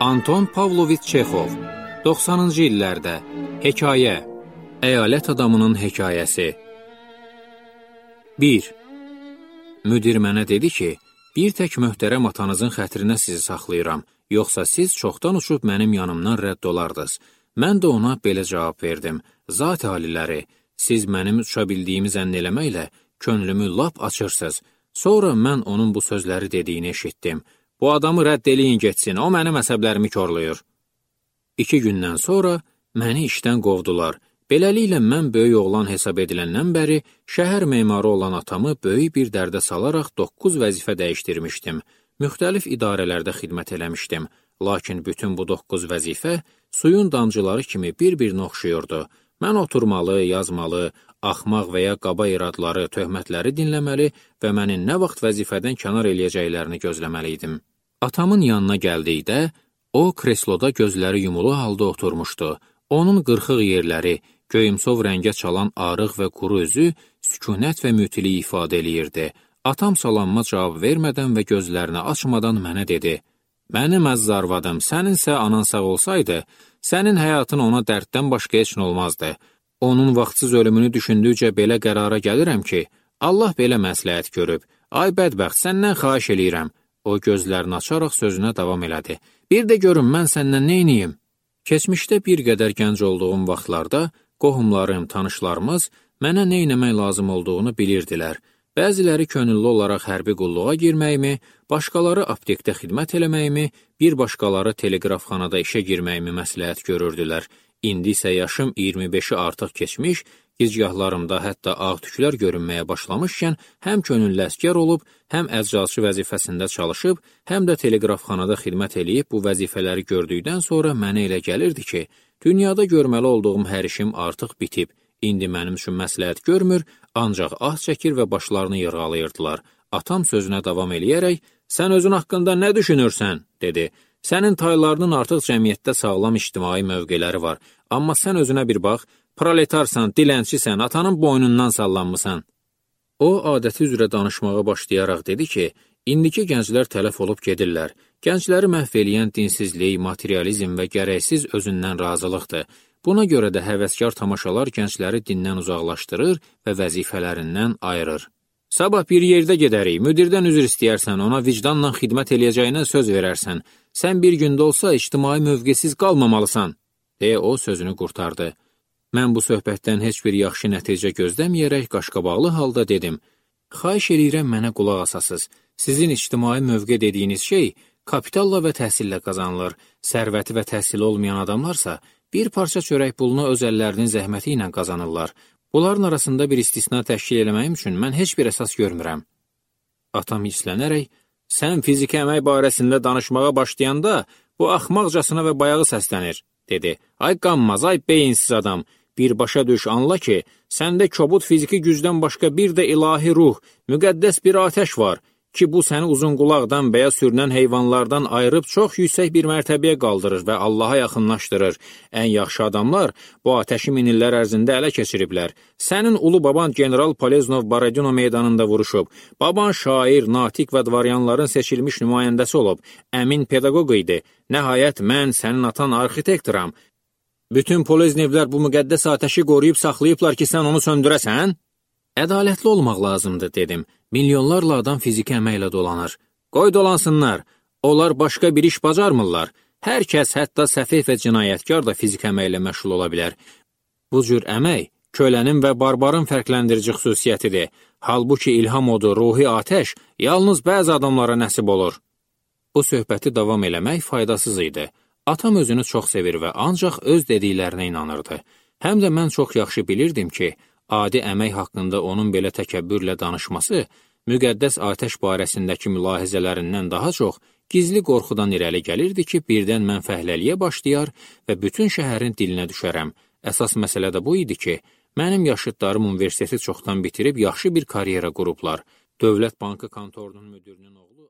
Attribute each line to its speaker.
Speaker 1: Anton Pavloviç Çexov, 90-cı illərdə Hekayə, əyalət adamının hekayəsi. 1. Müdir mənə dedi ki, bir tək möhtərəm atanızın xətrinə sizi saxlayıram, yoxsa siz çoxdan uçub mənim yanımdan rədd olardınız. Mən də ona belə cavab verdim. Zat aliləri, siz mənim uça bildiyimi zənn eləməklə könlümü lap açırsınız. Sonra mən onun bu sözləri dediyini eşitdim. Bu adamı rədd eləyin getsin, o mənim əsəblərimi korlayır. 2 gündən sonra məni işdən qovdular. Beləliklə mən böyük oğlan hesab ediləndən bəri şəhər memarı olan atamı böyük bir dərdə salaraq 9 vəzifə dəyişdirmişdim. Müxtəlif idarələrdə xidmət eləmişdim. Lakin bütün bu 9 vəzifə suyun damcıları kimi bir-birinə oxşuyurdu. Mən oturmalı, yazmalı, axmaq və ya qaba iradları, töhmətləri dinləməli və məni nə vaxt vəzifədən kənar eləyəcəklərini gözləməli idim. Atamın yanına gəldikdə, o kresloda gözləri yumulu halda oturmuşdu. Onun qırxıq yerləri, göyümsov rəngə çalan arıq və quru üzü sükunət və mütilik ifadə eləyirdi. Atam salamma cavab vermədən və gözlərini açmadan mənə dedi: "Mənim əziz arvadım, səninsə anan sağ olsaydı, sənin həyatın ona dərddən başqa heç nə olmazdı. Onun vaxtsız ölümünü düşündükcə belə qərara gəlirəm ki, Allah belə məsləhət görüb. Ay bədbəxt, səndən xahiş eləyirəm." O gözlərini açaraq sözünə davam elədi. "Bir də görün, mən səndən neyniyim?" Keçmişdə bir qədər gənc olduğum vaxtlarda qohumlarım, tanışlarımız mənə nə etmək lazım olduğunu bilirdilər. Bəziləri könüllü olaraq hərbi qulluğa girməyimi, başqaları aptekdə xidmət eləməyimi, bir başqaları teleqrafxanada işə girməyimi məsləhət görürdülər. İndi isə yaşım 25-i artıq keçmiş, gicgahlarımda hətta ağ tüklər görünməyə başlamışkən həm könüllü əsgər olub, həm əczaçı vəzifəsində çalışıb, həm də teleqrafxanada xidmət eləyib bu vəzifələri gördükdən sonra mənə elə gəlirdi ki, dünyada görməli olduğum hər işim artıq bitib. İndi mənim üçün məsləhət görmür, ancaq ah çəkir və başlarını yırğalayırdılar. Atam sözünə davam eləyərək, "Sən özün haqqında nə düşünürsən?" dedi. "Sənin taylarının artıq cəmiyyətdə sağlam ictimai mövqeləri var, amma sən özünə bir bax, proletarsan, dilənçisən, atanın boynundan sallanmısan." O, adəti üzrə danışmağa başlayaraq dedi ki, indiki gənclər tələf olub gedirlər. Gəncləri məhv eləyən dinsizlik, materializm və gərəksiz özündən razılıqdır. Buna görə də həvəskar tamaşalar gəncləri dindən uzaqlaşdırır və vəzifələrindən ayırır. "Sabah bir yerdə gedərik, müdirdən üzr istəyərsən, ona vicdanla xidmət eləyəcəyinə söz verərsən. Sən bir gündə olsa ictimai mövqesiz qalmamalısan," deyə o sözünü qurtardı. Mən bu söhbətdən heç bir yaxşı nəticə gözləməyərək qaşqabaqlı halda dedim: "Xahiş eləyirəm mənə qulaq asasız. Sizin ictimai mövqe dediyiniz şey kapitalla və təhsillə qazanılır. Sərvəti və təhsili olmayan adamlarsa bir parça çörək pulunu öz əllərinin zəhməti ilə qazanırlar. Bunların arasında bir istisna təşkil eləməyim üçün mən heç bir əsas görmürəm." Atam hislənərək, "Sən fiziki əmək barəsində danışmağa başlayanda bu axmaqcasına və bayağı səslənir," dedi. "Ay qanmaz, ay beyinsiz adam, birbaşa düş, anla ki, səndə kobud fiziki gücdən başqa bir də ilahi ruh, müqəddəs bir atəş var ki, bu səni uzun qulaqdan və ya sürünən heyvanlardan ayırıb çox yüksək bir mərtəbəyə qaldırır və Allaha yaxınlaşdırır. Ən yaxşı adamlar bu atəşi minillər ərzində ələ keçiriblər. Sənin ulu baban General Poleznov Baradino meydanında vuruşub. Baban şair, natiq və dvaryanların seçilmiş nümayəndəsi olub. Əmin pedaqoq idi. Nəhayət mən sənin atan arxitektoram. Bütün Poleznevlər bu müqəddəs atəşi qoruyub saxlayıblar ki, sən onu söndürəsən?" "Ədalətli olmaq lazımdır," dedim. "Milyonlarla adam fiziki əməklə dolanır. Qoy dolansınlar. Onlar başqa bir iş bacarmırlar. Hər kəs, hətta səfeh və cinayətkar da fiziki əməklə məşğul ola bilər. Bu cür əmək kölənin və barbarın fərqləndirici xüsusiyyətidir. Halbuki ilham odu, ruhi atəş yalnız bəzi adamlara nəsib olur." Bu söhbəti davam eləmək faydasız idi. Atam özünü çox sevir və ancaq öz dediklərinə inanırdı. Həm də mən çox yaxşı bilirdim ki, adi əmək haqqında onun belə təkəbbürlə danışması, müqəddəs atəş barəsindəki mülahizələrindən daha çox gizli qorxudan irəli gəlirdi ki, birdən mən fəhləliyə başlayar və bütün şəhərin dilinə düşərəm. Əsas məsələ də bu idi ki, mənim yaşıdlarım universiteti çoxdan bitirib yaxşı bir karyera qurublar. Dövlət Bankı kontorunun müdirinin oğlu